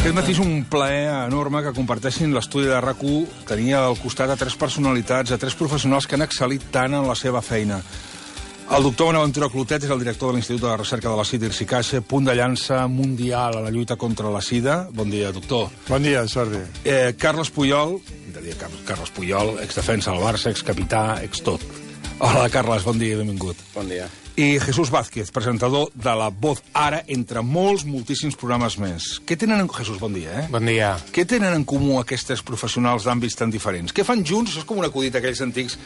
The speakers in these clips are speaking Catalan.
Aquest matí és un plaer enorme que comparteixin l'estudi de RAC1. Tenia al costat a tres personalitats, a tres professionals que han excel·lit tant en la seva feina. El doctor Bonaventura Clotet és el director de l'Institut de Recerca de la SIDA Irsi-Caixa, punt de llança mundial a la lluita contra la SIDA. Bon dia, doctor. Bon dia, Jordi. Carles Puyol, Carles Puyol, exdefensa del Barça, excapità, extot. Hola, Carles, bon dia i benvingut. Bon dia. I Jesús Vázquez, presentador de La Voz Ara, entre moltíssims programes més. Què tenen en... Jesús, bon dia, Bon dia. Què tenen en comú aquests professionals d'àmbits tan diferents? Què fan junts? Això és com un acudit aquells antics.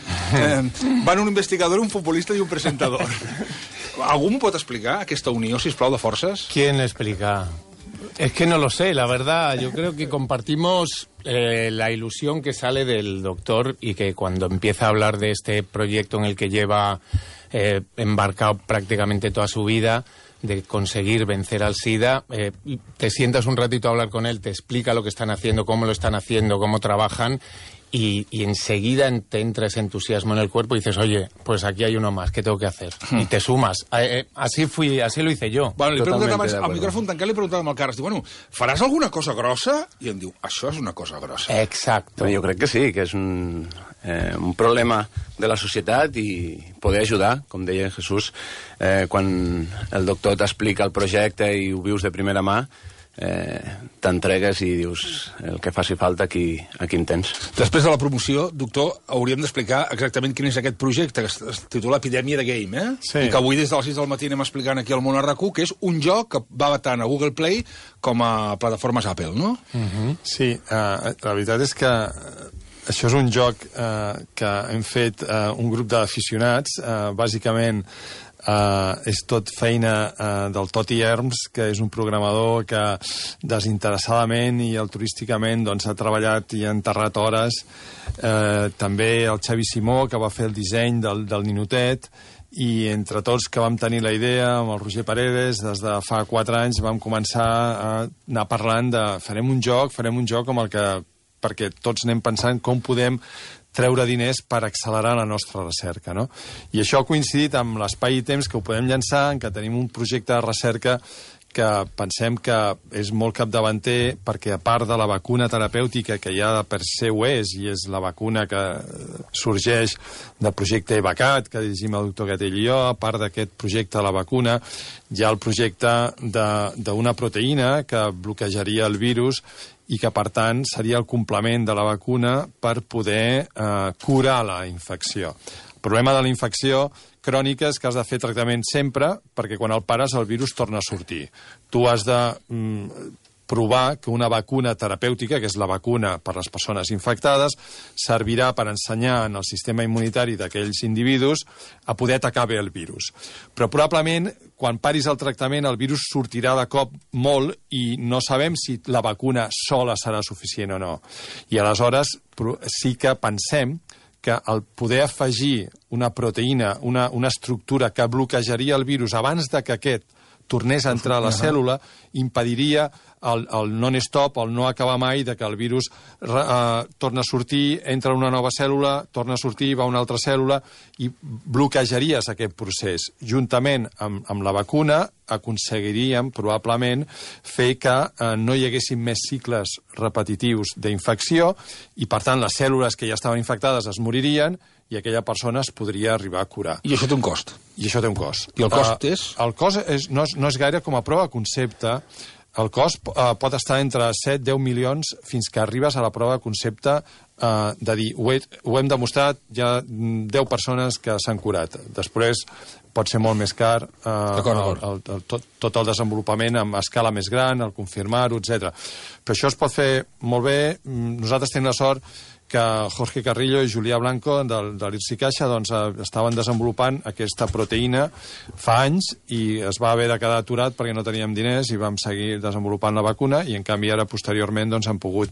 Van un investigador, un futbolista i un presentador. Algú m'ho pot explicar, aquesta unió, sisplau, de forces? ¿Quién le explica? Es que no lo sé, la verdad. Yo creo que compartimos la ilusión que sale del doctor y que cuando empieza a hablar de este proyecto en el que lleva embarcado prácticamente toda su vida, de conseguir vencer al SIDA, te sientas un ratito a hablar con él, te explica lo que están haciendo, cómo lo están haciendo, cómo trabajan, y enseguida te entra ese entusiasmo en el cuerpo y dices, oye, pues aquí hay uno más, ¿qué tengo que hacer? Y te sumas. Así lo hice jo. Bueno, li he preguntat abans, al micròfon tancat, li he preguntat al Carles, diu, bueno, faràs alguna cosa grossa? I em diu, això és una cosa grossa. Exacto. Jo crec que sí, que és un problema de la societat i poder ajudar, com deia Jesús, quan el doctor t'explica el projecte i ho vius de primera mà, t'entregues i dius el que faci falta aquí en tens. Després de la promoció, doctor, hauríem d'explicar exactament quin és aquest projecte, que es titula Epidèmia de Game, Sí. I que avui des de les 6 del matí anem explicant aquí al món a RAC1, que és un joc que va tant a Google Play com a plataformes Apple, no? Sí, la veritat és que això és un joc que hem fet un grup d'aficionats, bàsicament és tot feina del Toti Herms, que és un programador que desinteressadament i altruísticament ha treballat i ha enterrat hores. També el Xavi Simó, que va fer el disseny del ninotet, i entre tots que vam tenir la idea, amb el Roger Paredes, des de fa 4 anys vam començar a anar parlant de farem un joc com el que, perquè tots anem pensant com podem treure diners per accelerar la nostra recerca, no? I això ha coincidit amb l'espai i temps que ho podem llançar, en què tenim un projecte de recerca que pensem que és molt capdavanter, perquè a part de la vacuna terapèutica, que ja per ser ho és, i és la vacuna que sorgeix del projecte EVACAT, que dirigim el doctor Gatell i jo, a part d'aquest projecte de la vacuna, hi ha el projecte d'una proteïna que bloquejaria el virus i que, per tant, seria el complement de la vacuna per poder curar la infecció. El problema de la infecció crònica és que has de fer tractament sempre, perquè quan el pares el virus torna a sortir. Tu has de provar que una vacuna terapèutica, que és la vacuna per a les persones infectades, servirà per ensenyar en el sistema immunitari d'aquells individus a poder atacar bé el virus. Però probablement, quan paris el tractament, el virus sortirà de cop molt i no sabem si la vacuna sola serà suficient o no. I aleshores sí que pensem que el poder afegir una proteïna, una estructura que bloquejaria el virus abans de que aquest tornés a entrar a la cèl·lula, impediria el non-stop, el no acabar mai, de que el virus torna a sortir, entra en una nova cèl·lula, torna a sortir, va a una altra cèl·lula, i bloquejaries aquest procés. Juntament amb la vacuna aconseguiríem, probablement, fer que no hi haguessin més cicles repetitius d'infecció i, per tant, les cèl·lules que ja estaven infectades es moririen i aquella persona es podria arribar a curar. I això té un cost. I això té un cost. I el cost és? El cost no és gaire com a prova de concepte. El cost pot estar entre 7-10 milions fins que arribes a la prova de concepte de dir, ho hem demostrat, hi ha 10 persones que s'han curat. Després pot ser molt més car tot el desenvolupament amb escala més gran, el confirmar-ho, etc. Però això es pot fer molt bé. Nosaltres tenim la sort que Jorge Carrillo i Julià Blanco de l'Irsi-Caixa estaven desenvolupant aquesta proteïna fa anys i es va haver de quedar aturat perquè no teníem diners i vam seguir desenvolupant la vacuna i en canvi ara posteriorment han pogut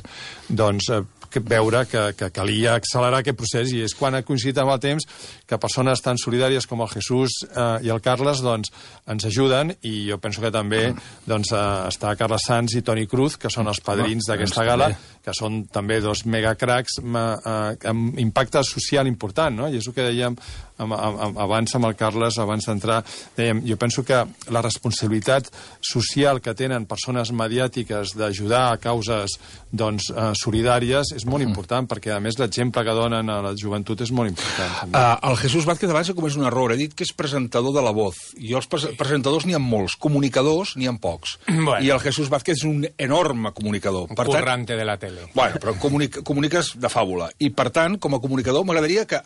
veure que calia accelerar aquest procés, i és quan ha coincidit amb el temps que persones tan solidàries com el Jesús i el Carles doncs, ens ajuden, i jo penso que també doncs, està Carles Sanz i Toni Cruz, que són els padrins d'aquesta gala, que són també dos megacracs amb impacte social important, no? I és el que dèiem abans amb el Carles, abans d'entrar, dèiem, jo penso que la responsabilitat social que tenen persones mediàtiques d'ajudar a causes doncs, solidàries és molt important, perquè a més l'exemple que donen a la joventut és molt important. El Jesús Vázquez abans ha comès un error, ha dit que és presentador de La Voz, i els presentadors n'hi ha molts, comunicadors n'hi ha pocs, i el Jesús Vázquez és un enorme comunicador. Un currante de la tele. Bueno, però comuniques de fàbula, i per tant, com a comunicador, m'agradaria que...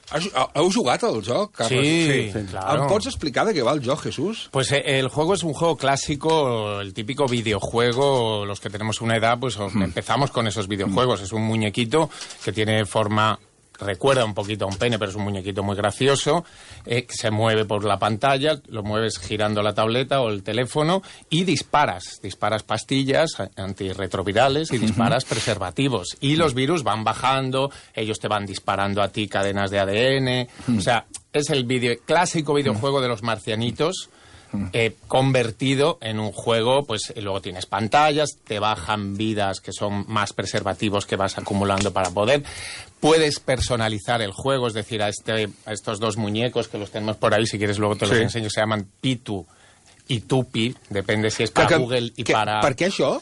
Heu jugat al joc, Carles? Sí, claro. ¿Em pots explicar de qué va el juego, Jesús? Pues el juego es un juego clásico, el típico videojuego. Los que tenemos una edad, pues empezamos con esos videojuegos. Es un muñequito que tiene forma... Recuerda un poquito a un pene, pero es un muñequito muy gracioso, que se mueve por la pantalla, lo mueves girando la tableta o el teléfono y disparas pastillas antirretrovirales y disparas preservativos. Y los virus van bajando, ellos te van disparando a ti cadenas de ADN. O sea, es el clásico videojuego de los marcianitos, convertido en un juego, pues luego tienes pantallas, te bajan vidas que son más preservativos que vas acumulando para poder. Puedes personalizar el juego, es decir, a estos dos muñecos que los tenemos por ahí, si quieres luego te los enseño, se llaman Pitu y Tupi, depende si es para Google y para... ¿Para qué eso?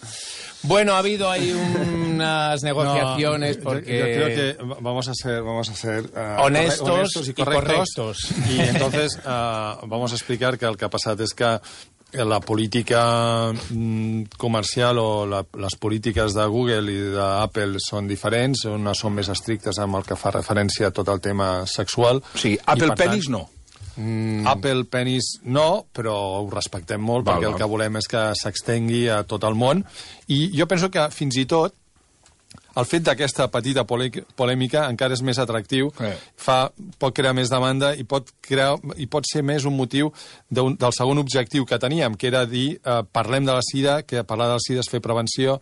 Bueno, ha habido ahí unas negociaciones porque... Yo creo que vamos a ser honestos y correctos. Y entonces vamos a explicar que el que ha passat és que la política comercial o les polítiques de Google i d'Apple són diferents, unes són més estrictes amb el que fa referència a tot el tema sexual. Sí, Apple Penis no. Apple Penis no, però ho respectem molt perquè el que volem és que s'extengui a tot el món, i jo penso que fins i tot el fet d'aquesta petita polèmica encara és més atractiu, pot crear més demanda i pot ser més un motiu del segon objectiu que teníem, que era dir parlem de la sida, que parlar de la sida és fer prevenció,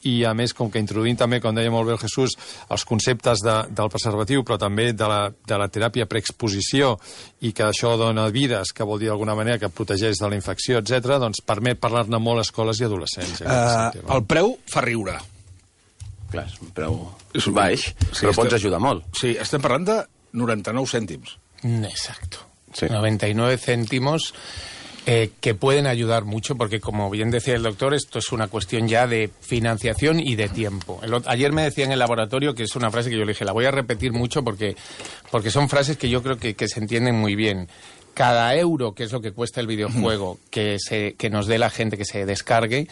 i a més, com que introduïm també, com deia molt bé el Jesús, els conceptes del preservatiu, però també de la teràpia preexposició, i que això dona vides, que vol dir d'alguna manera que protegeix de la infecció, etc., doncs permet parlar-ne molt a escoles i adolescents. El preu fa riure. Clar, és un preu baix, però pots ajudar molt. Sí, estem parlant de 99 cèntims. Exacto. Sí. 99 céntimos que pueden ayudar mucho, porque como bien decía el doctor, esto es una cuestión ya de financiación y de tiempo. Ayer me decía en el laboratorio, que es una frase que yo le dije, la voy a repetir mucho porque son frases que yo creo que se entienden muy bien. Cada euro, que es lo que cuesta el videojuego, que nos dé la gente que se descargue,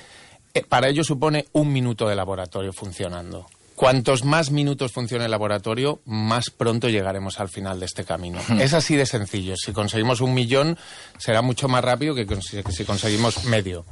para ello supone 1 minuto de laboratorio funcionando. Cuantos más minutos funcione el laboratorio, más pronto llegaremos al final de este camino. Es así de sencillo. Si conseguimos 1 millón, será mucho más rápido que si conseguimos medio.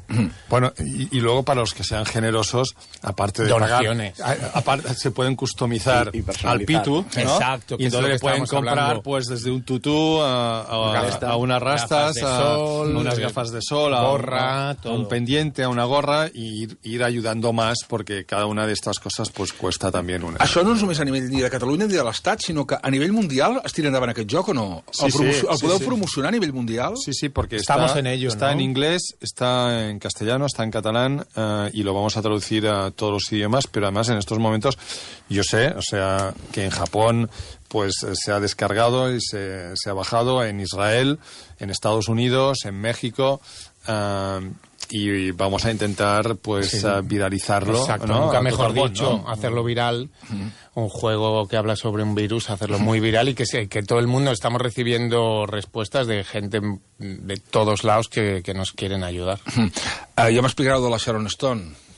Bueno, y luego para los que sean generosos, aparte de donaciones, aparte se pueden customizar al Pitu, ¿no? Exacto, y entonces le pueden comprar pues desde un tutú a unas rastas, a unas gafas de sol, a un pendiente, a una gorra, y ir ayudando más, porque cada una de estas cosas pues cuesta també una. Això no és només a nivell ni de Catalunya ni de l'Estat, sinó que a nivell mundial es tira endavant aquest joc o no? ¿El podeu promocionar a nivel mundial? Sí, porque estamos en ello, está en inglés, está en castellano, está en catalán, y lo vamos a traducir a todos los idiomas, pero además en estos momentos yo sé, o sea, que en Japón pues se ha descargado y se ha bajado, en Israel, en Estados Unidos, en México, y vamos a intentar pues viralizarlo. Exacto, ¿no? Nunca mejor dicho, hacerlo viral. Un juego que habla sobre un virus, hacerlo muy viral, y que todo el mundo estamos recibiendo respuestas de gente de todos lados que nos quieren ayudar. Jo m'explicareu de la Sharon Stone.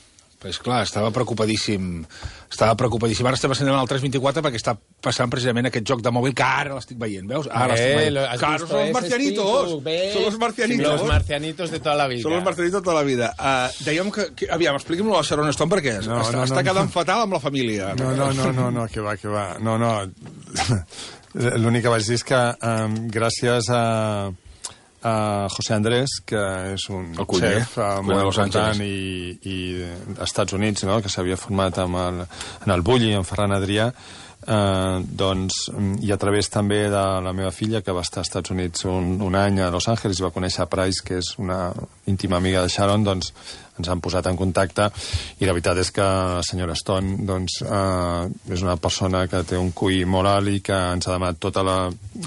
Pues clar, estava preocupadíssim. Ara estem passant al 324 perquè està passant precisament aquest joc de mòbil que ara l'estic veient, veus? Ara l'estic veient. Claro, son los marcianitos. Son los marcianitos. Los marcianitos de toda la vida. Son los marcianitos de toda la vida. Dèiem que aviam, expliqui'm-lo a Sharon Stone perquè està quedant fatal amb la família. No, que va. No. L'únic que vaig dir és que gràcies a José Andrés, que és un chef molt important i als Estats Units, no? Que s'havia format en el Bulli, en Ferran Adrià, i a través també de la meva filla, que va estar als Estats Units un any a Los Angeles i va conèixer Price, que és una íntima amiga de Sharon, doncs ens han posat en contacte, i la veritat és que la senyora Stone és una persona que té un QI molt alt i que ens ha demanat tota la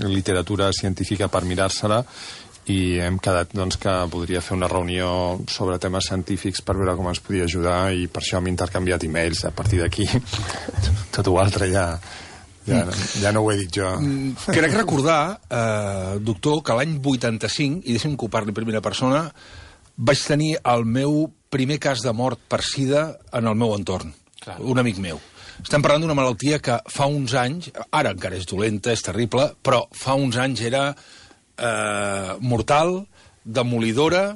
literatura científica per mirar-se-la, i hem quedat que podria fer una reunió sobre temes científics per veure com ens podia ajudar, i per això hem intercanviat e-mails. A partir d'aquí tot l'altre ja no ho he dit jo. Crec recordar, doctor, que l'any 85, i deixem que ho parli en primera persona, vaig tenir el meu primer cas de mort per sida en el meu entorn. Clar. Un amic meu. Estem parlant d'una malaltia que fa uns anys, ara encara és dolenta, és terrible, però fa uns anys era mortal, demolidora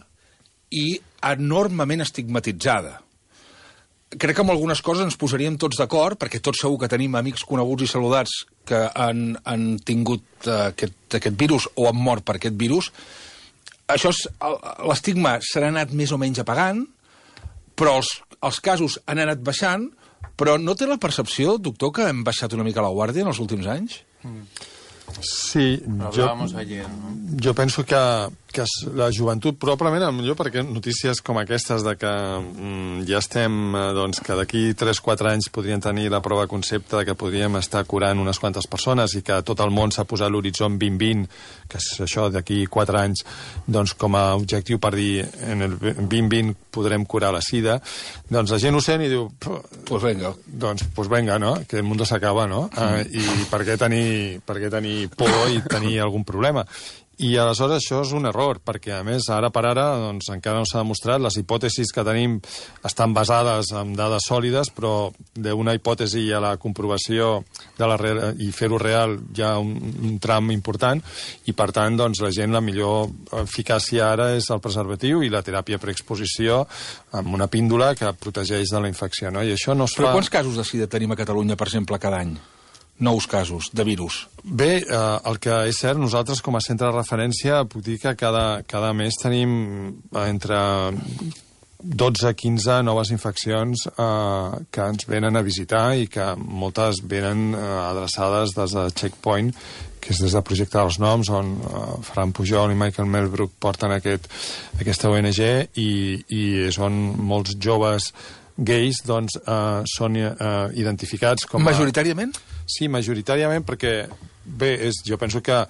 i enormement estigmatitzada. Crec que amb algunes coses ens posaríem tots d'acord, perquè tots segur que tenim amics coneguts i saludats que han tingut aquest virus o han mort per aquest virus. Això l'estigma s'ha anat més o menys apagant, però els casos han anat baixant, però no té la percepció, doctor, que hem baixat una mica la guàrdia en els últims anys? Sí, jo penso que la joventut, probablement, millor perquè notícies com aquestes de que ja estem, que d'aquí 3-4 anys podrien tenir la prova concepte de que podríem estar curant unes quantes persones i que tot el món s'ha posat l'horitzó 2020, que és això d'aquí 4 anys, com a objectiu per dir en el 2020 podrem curar la sida, doncs la gent ho sent i diu pues venga, no? Que el mundo s'acaba, no? I per què tenir por i tenir algun problema? I aleshores això és un error, perquè a més ara per ara encara no s'ha demostrat, les hipòtesis que tenim estan basades en dades sòlides, però d'una hipòtesi a la comprovació i fer-ho real hi ha un tram important, i per tant la gent, la millor eficàcia ara és el preservatiu i la teràpia preexposició amb una píndola que protegeix de la infecció, no? I això no es fa... Però quants casos de sida tenim a Catalunya, per exemple, cada any? Nous casos de virus. Bé, el que és cert, nosaltres com a centre de referència puc dir que cada mes tenim entre 12 a 15 noves infeccions que ens venen a visitar i que moltes venen adreçades des de Checkpoint, que és des del projecte dels noms, on Ferran Pujol i Michael Melbrook porten aquesta ONG, i és on molts joves gais són identificats com a... Majoritàriament? Sí, majoritàriament, perquè bé, jo penso que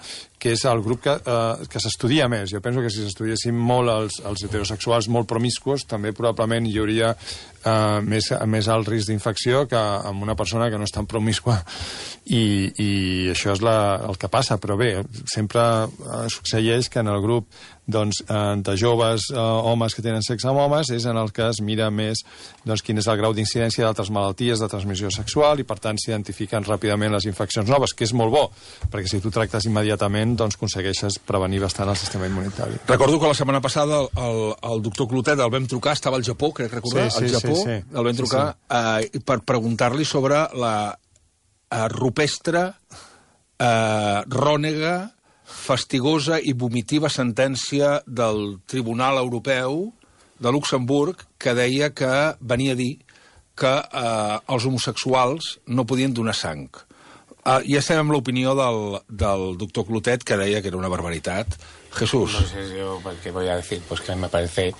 és el grup que s'estudia més. Jo penso que si s'estudiessin molt els heterosexuals molt promiscuos, també probablement hi hauria més alt risc d'infecció que amb una persona que no és tan promiscua. I això és el que passa, però bé, sempre succeeix que en el grup de joves homes que tenen sexe amb homes és en el que es mira més quin és el grau d'incidència d'altres malalties de transmissió sexual, i per tant s'identifiquen ràpidament les infeccions noves, que és molt bo, perquè si tu tractes immediatament aconsegueixes prevenir bastant el sistema immunitari. Recordo que la setmana passada el doctor Clotet el vam trucar, estava al Japó, crec recordar, al Japó, el vam trucar per preguntar-li sobre la rupestre, rònega, fastigosa i vomitiva sentència del Tribunal Europeu de Luxemburg, que deia que venia a dir que els homosexuals no podien donar sang. Ja estem amb l'opinió del doctor Clotet, que deia que era una barbaritat. Jesús. No sé yo qué voy a decir, pues que me parece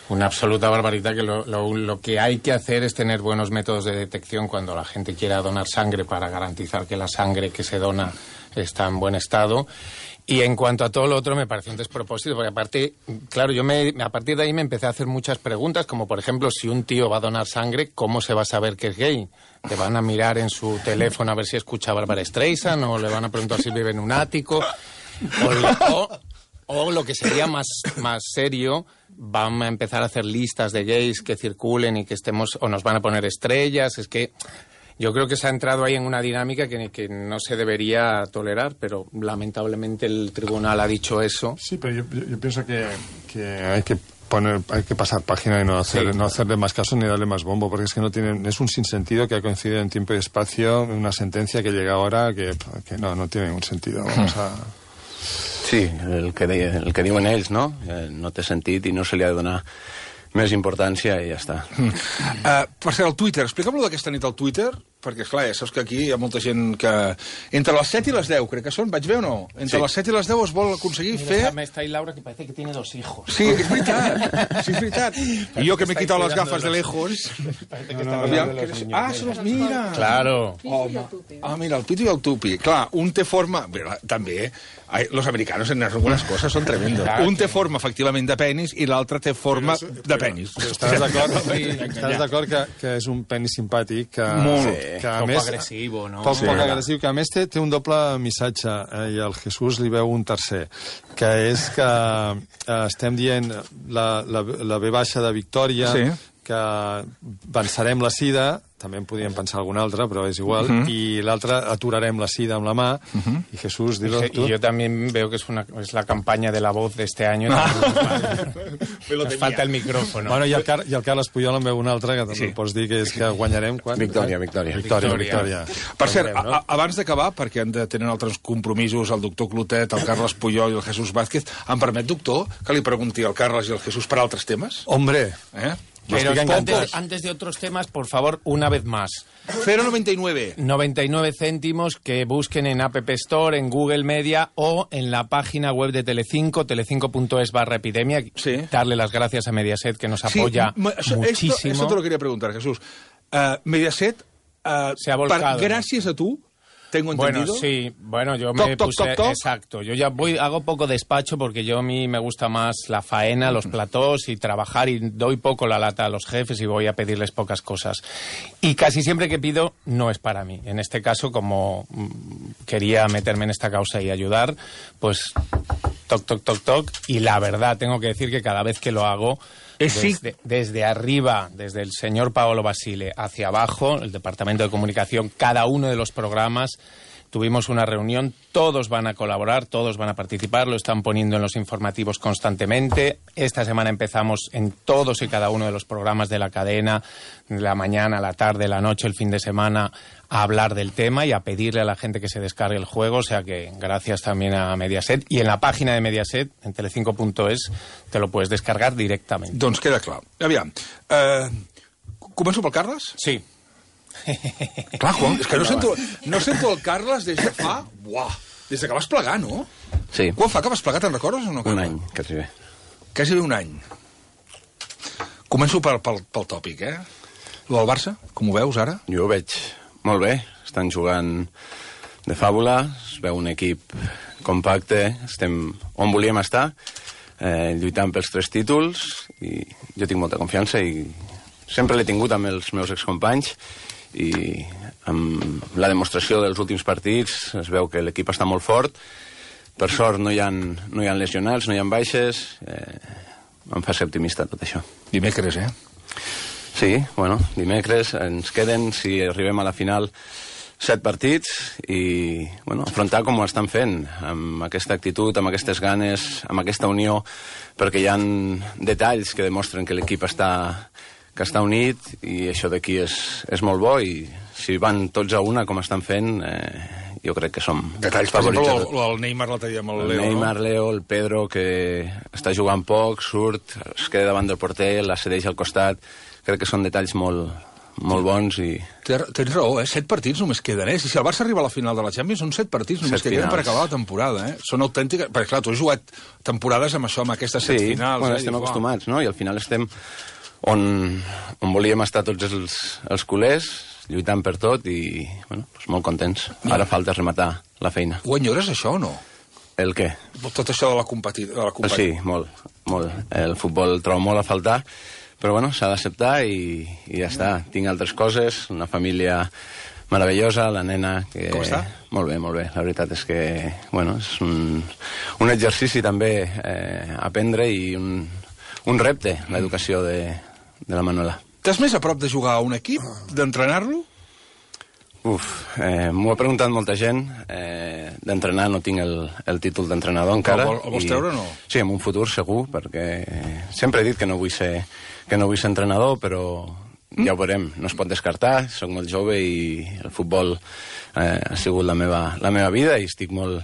una absoluta barbaridad, que lo que hay que hacer es tener buenos métodos de detección cuando la gente quiera donar sangre, para garantizar que la sangre que se dona está en buen estado. Y en cuanto a todo lo otro, me parece un despropósito, porque aparte, claro, a partir de ahí me empecé a hacer muchas preguntas, como por ejemplo, si un tío va a donar sangre, ¿cómo se va a saber que es gay? ¿Le van a mirar en su teléfono a ver si escucha a Barbara Streisand? ¿O le van a preguntar si vive en un ático? O lo que sería más serio, van a empezar a hacer listas de gays que circulen y que estemos, o nos van a poner estrellas. Es que yo creo que se ha entrado ahí en una dinámica que no se debería tolerar, pero lamentablemente el tribunal ha dicho eso. Sí, pero yo pienso que hay que pasar página y no hacerle más caso ni darle más bombo, porque es que es un sinsentido que ha coincidido en tiempo y espacio, una sentencia que llega ahora que no tiene ningún sentido. Vamos a... Sí, el que diuen ells, no? No té sentit i no se li ha de donar més importància i ja està. Per ser al Twitter, explica'm-lo d'aquesta nit al Twitter, perquè, esclar, ja saps que aquí hi ha molta gent que... Entre les 7 i les 10, crec que són, vaig bé o no? Entre les 7 i les 10 es vol aconseguir fer... Mira, está ahí Laura, que parece que tiene 2 hijos. Sí, és veritat, sí, és veritat. I jo que m'he quitat les gafes de lejos... Ah, se los mira! Claro. Mira, el Pito i el Tupi. Clar, un té forma... Bé, també, los americanos en algunas cosas son tremendos. Un té forma, efectivament, de penis i l'altre té forma de penis. Estàs d'acord que és un penis simpàtic, que... Molt. Que a Poc més, agressiu, no? Poc agressiu, que a més té un doble missatge, i el Jesús li veu un tercer, que és que estem dient la V baixa de Victòria, que vencerem la sida, també en podíem pensar algun altre, però és igual, i l'altre aturarem la sida amb la mà, i Jesús, dilo tu. Y yo también veo que es la campaña de La Voz de este año. Nos falta el micrófono. Bueno, i el Carles Puyol en veu un altre, que també pots dir que és que guanyarem... Victòria. Per cert, abans d'acabar, perquè tenen altres compromisos, el doctor Clotet, el Carles Puyol i el Jesús Vázquez, em permet, doctor, que li pregunti al Carles i al Jesús per altres temes? Hombre! Pero antes de otros temas, por favor, una vez más. 0,99. 99 céntimos que busquen en App Store, en Google Media o en la página web de Telecinco, telecinco.es/epidemia. Sí. Darle las gracias a Mediaset, que nos apoya muchísimo. Esto te lo quería preguntar, Jesús. Mediaset, se ha volcado. Gracias a tú, tengo entendido. Bueno, sí, yo me puse... Exacto, yo ya hago poco despacho porque a mí me gusta más la faena, los platós y trabajar, y doy poco la lata a los jefes y voy a pedirles pocas cosas. Y casi siempre que pido no es para mí. En este caso, como quería meterme en esta causa y ayudar, pues toc, y la verdad, tengo que decir que cada vez que lo hago... Desde arriba, desde el señor Paolo Basile hacia abajo, el departamento de comunicación, cada uno de los programas, tuvimos una reunión, todos van a colaborar, todos van a participar, lo están poniendo en los informativos constantemente. Esta semana empezamos en todos y cada uno de los programas de la cadena, la mañana, la tarde, la noche, el fin de semana, a hablar del tema y a pedirle a la gente que se descargue el juego, o sea que gracias también a Mediaset. Y en la página de Mediaset, en telecinco.es, te lo puedes descargar directamente. Doncs queda clar. Aviam, començo pel Carles? Sí. Clar, Juan, és que no sento el Carles des de fa... Des de que vas plegar, no? Sí. Quan fa que vas plegar, te'n recordes o no? Un any, quasi bé. Quasi bé un any. Començo pel tòpic, Lo del Barça, com ho veus ara? Jo ho veig molt bé. Estan jugant de fàbula, es veu un equip compacte, estem on volíem estar, lluitant pels 3 títols, i jo tinc molta confiança i sempre l'he tingut amb els meus excompanys, i amb la demostració dels últims partits es veu que l'equip està molt fort. Per sort no hi ha lesionats, no hi ha baixes, em fa ser optimista tot això. Dimecres, Sí, dimecres ens queden, si arribem a la final, 7 partits i afrontar com ho estan fent, amb aquesta actitud, amb aquestes ganes, amb aquesta unió, perquè hi ha detalls que demostren que l'equip està unit, i això d'aquí és molt bo, i si van tots a una com estan fent, jo crec que som detalls, favorits. Per exemple, el Neymar l'altre dia amb el Leo. El Neymar, Leo, el Pedro, que està jugant poc, surt, es queda davant del porter, la cedeix al costat. Crec que són detalls molt bons i... Tens raó, 7 partits només queden, Si el Barça arriba a la final de la Champions, són 7 partits només que queden per acabar la temporada, Són autèntiques... Perquè, clar, tu has jugat temporades amb això, amb aquestes 7 finals. Sí, estem acostumats, no? I al final estem on volíem estar tots els culers, lluitant per tot i, molt contents. Ara falta rematar la feina. Ho enyores, això, o no? El què? Tot això de la competició. Sí, molt. El futbol el trobo molt a faltar, però s'ha d'acceptar i ja està. Tinc altres coses, una família meravellosa, la nena... Que... Com està? Molt bé. La veritat és que, és un exercici també aprendre i un repte, l'educació de la Manuela. T'has més a prop de jugar a un equip, d'entrenar-lo? M'ho ha preguntat molta gent. D'entrenar no tinc el títol d'entrenador encara. El vols treure o no? Sí, en un futur segur, perquè sempre he dit que no vull ser entrenador, però ja ho veurem. No es pot descartar, soc molt jove i el futbol ha sigut la meva vida i estic molt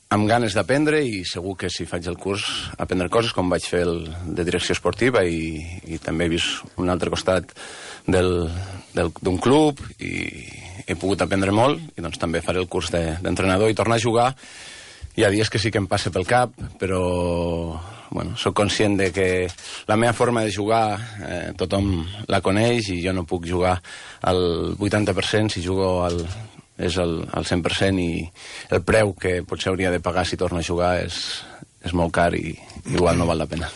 amb ganes d'aprendre i segur que si faig el curs aprendre coses com vaig fer el de direcció esportiva i també he vist un altre costat d'un club i he pogut aprendre molt i doncs també faré el curs d'entrenador i tornar a jugar. Hi ha dies que sí que em passa pel cap, però bueno, soc conscient de que la meva forma de jugar tothom la coneix i jo no puc jugar al 80% si jugo és al 100% i el preu que potser hauria de pagar si torno a jugar és molt car i igual no val la pena.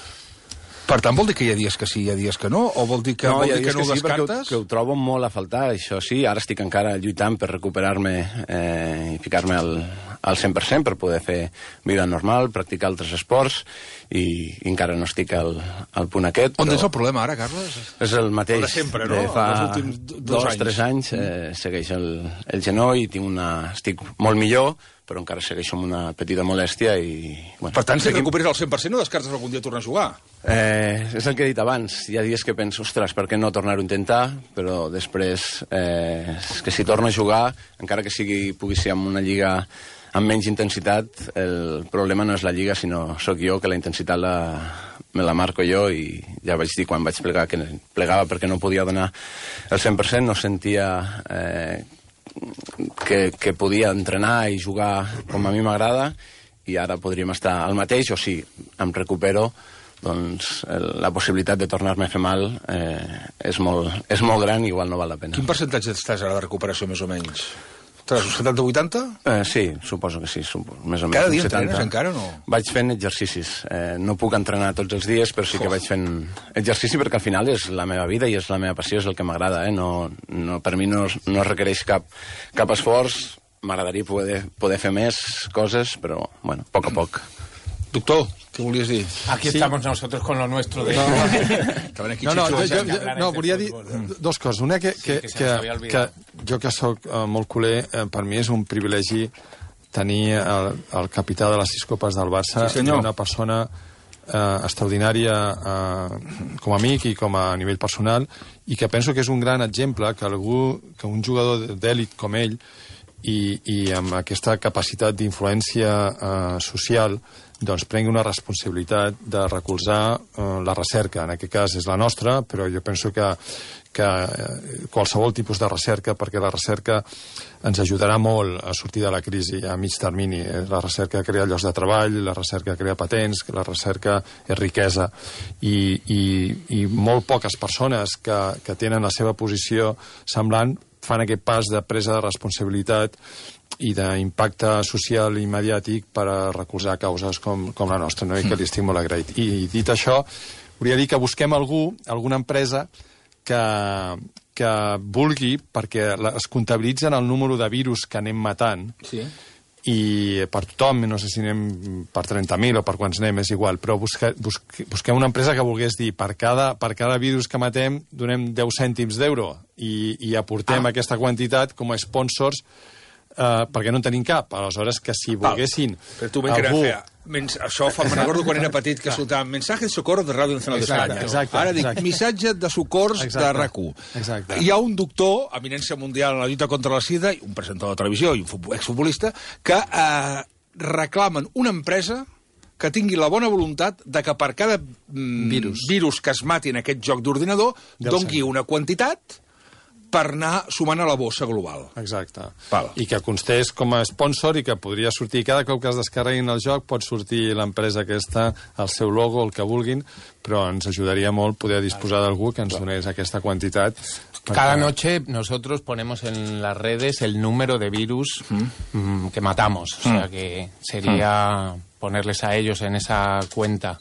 Per tant, vol dir que hi ha dies que sí i hi ha dies que no? O vol dir que, no, vol dir que no ho sí, descartes? Que ho trobo molt a faltar, això sí. Ara estic encara lluitant per recuperar-me i ficar-me al 100% per poder fer vida normal, practicar altres esports i encara no estic al punt aquest. On és el problema ara, Carles? És el mateix. El de sempre, no? De fa els últims 2 anys. 3 anys segueix el genoll, estic molt millor, però encara segueixo amb una petita molèstia i... Bueno, per tant, si recuperes el 100% no descartes algun dia tornar a jugar? És el que he dit abans. Hi ha dies que penso, ostres, per què no tornar-ho a intentar? Però després, és que si torno a jugar, encara que pugui ser en una lliga amb menys intensitat, el problema no és la lliga, sinó sóc jo, que la intensitat me la marco jo i ja vaig dir quan vaig plegar que plegava perquè no podia donar el 100%, no sentia que podia entrenar i jugar com a mi m'agrada i ara podríem estar al mateix o si em recupero doncs la possibilitat de tornar-me a fer mal és molt gran i igual no val la pena. Quin percentatge estàs ara de recuperació més o menys? 70-80? Sí, suposo que sí, més o menys. Cada dia entrenes encara o no? Vaig fent exercicis. No puc entrenar tots els dies, però sí que vaig fent exercici perquè al final és la meva vida i és la meva passió, és el que m'agrada. Per mi no requereix cap esforç. M'agradaria poder fer més coses, però, bueno, a poc. Doctor, què volies dir? Aquí estamos nosotros con lo nuestro. No, volia dir 2 coses. Una que jo que sóc molt culer, per mi és un privilegi tenir el capità de les 6 copes del Barça, una persona extraordinària com a amic i com a nivell personal, i que penso que és un gran exemple que un jugador d'èlit com ell i amb aquesta capacitat d'influència social doncs prengui una responsabilitat de recolzar la recerca. En aquest cas és la nostra, però jo penso que qualsevol tipus de recerca, perquè la recerca ens ajudarà molt a sortir de la crisi a mig termini. La recerca crea llocs de treball, la recerca crea patents, la recerca és riquesa. I molt poques persones que tenen la seva posició semblant fan aquest pas de presa de responsabilitat i d'impacte social i mediàtic per a recolzar causes com la nostra, no? I que li estic molt agraït. I dit això, volia dir que busquem alguna empresa que vulgui, perquè es comptabilitzen el número de virus que anem matant, i per tothom, no sé si anem per 30.000 o per quants anem, és igual, però busquem una empresa que volgués dir per cada virus que matem donem 10 cèntims d'euro i aportem aquesta quantitat com a sponsors perquè no en tenim cap. Aleshores, que si volguessin... Però tu això me'n recordo quan era petit que soltàvem mensaje de socorro de Ràdio Nacional d'Espanya. Ara dic, missatge de socors de RAC1. Hi ha un doctor, eminència mundial en la lluita contra la sida, un presentador de televisió i un exfutbolista, que reclamen una empresa que tingui la bona voluntat de que per cada virus que es mati en aquest joc d'ordinador doni una quantitat per anar sumant a la bossa global. Exacte. I que constés com a sponsor i que podria sortir cada cop que es descarreguin el joc pot sortir l'empresa aquesta, el seu logo, el que vulguin, però ens ajudaria molt poder disposar d'algú que ens donés aquesta quantitat. Cada noche nosotros ponemos en las redes el número de virus que matamos. O sea que sería ponerles a ellos en esa cuenta.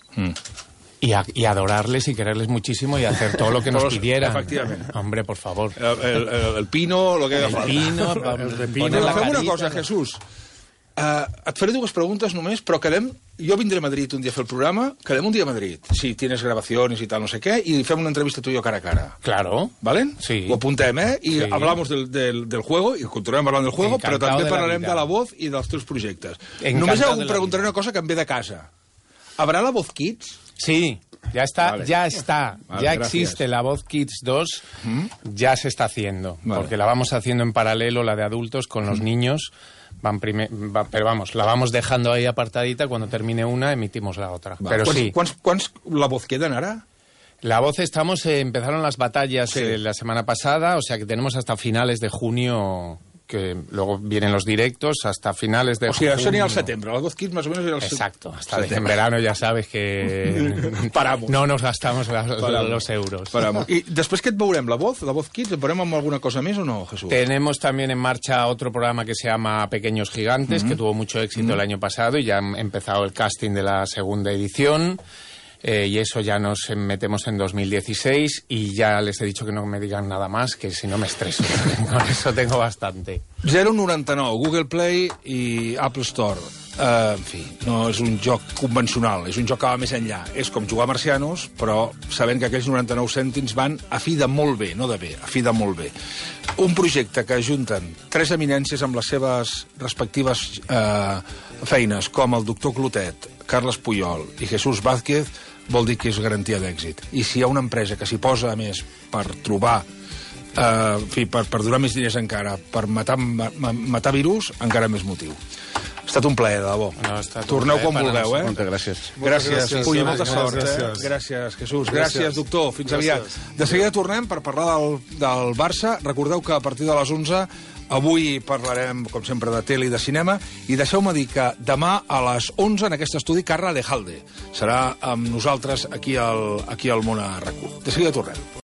Y adorarles y quererles muchísimo y hacer todo lo que nos pidieran. Efectivament. Hombre, por favor. El pino, lo que haga falta. El repino, fem una cosa, Jesús. Et faré 2 preguntes només, però jo vindré a Madrid un dia a fer el programa, quedem un dia a Madrid, si tienes grabaciones y tal, no sé qué, y hacemos una entrevista tú y yo cara a cara. Claro. ¿Vale? Sí. Ho apuntem, y hablamos del juego, y continuem parlant del juego, però també parlarem de la voz i dels teus projectes. Només preguntaré una cosa que em ve de casa. ¿Habrá la Voz Kids? Sí, ya está, vale. Ya existe la Voz Kids 2, ya se está haciendo, porque la vamos haciendo en paralelo, la de adultos, con los niños, Pero vamos, la vamos dejando ahí apartadita, cuando termine una emitimos la otra. Pero sí. ¿Cuánts La Voz queden ara? La Voz empezaron las batallas la semana pasada, o sea que tenemos hasta finales de junio, que luego vienen los directos, hasta finales de junio. O sigui, això anirà al setembre, La Voz Kids más o menos... Exacto, hasta en verano ya sabes que Paramos. No nos gastamos los euros. Paramos. I després què et veurem, La Voz Kids? Et veurem amb alguna cosa més o no, Jesús? Tenemos también en marcha otro programa que se llama Pequeños Gigantes, que tuvo mucho éxito el año pasado y ya han empezado el casting de la segunda edición. Y eso ya nos metemos en 2016 y ya les he dicho que no me digan nada más, que si no me estreso. Con eso tengo bastante. 0,99, Google Play i Apple Store. En fi, no és un joc convencional, és un joc que va més enllà. És com jugar a marcianos, però sabent que aquells 99 cèntims van a fi de molt bé, no de bé, a fi de molt bé. Un projecte que ajunten 3 eminències amb les seves respectives feines, com el doctor Clotet, Carles Puyol i Jesús Vázquez, vol dir que és garantia d'èxit. I si hi ha una empresa que s'hi posa a més per trobar, en fi, per donar més diners encara, per matar virus, encara més motiu. Ha estat un plaer, de debò. Torneu quan vulgueu, eh? Moltes gràcies. Gràcies, Puy, molta sort, eh? Gràcies, Jesús. Gràcies, doctor. Fins aviat. De seguida tornem per parlar del Barça. Recordeu que a partir de les 11 avui parlarem, com sempre, de tele i de cinema, i deixeu-me dir que demà a les 11 en aquest estudi Carla Lejalde serà amb nosaltres aquí al Món a RAC1. De seguida tornem.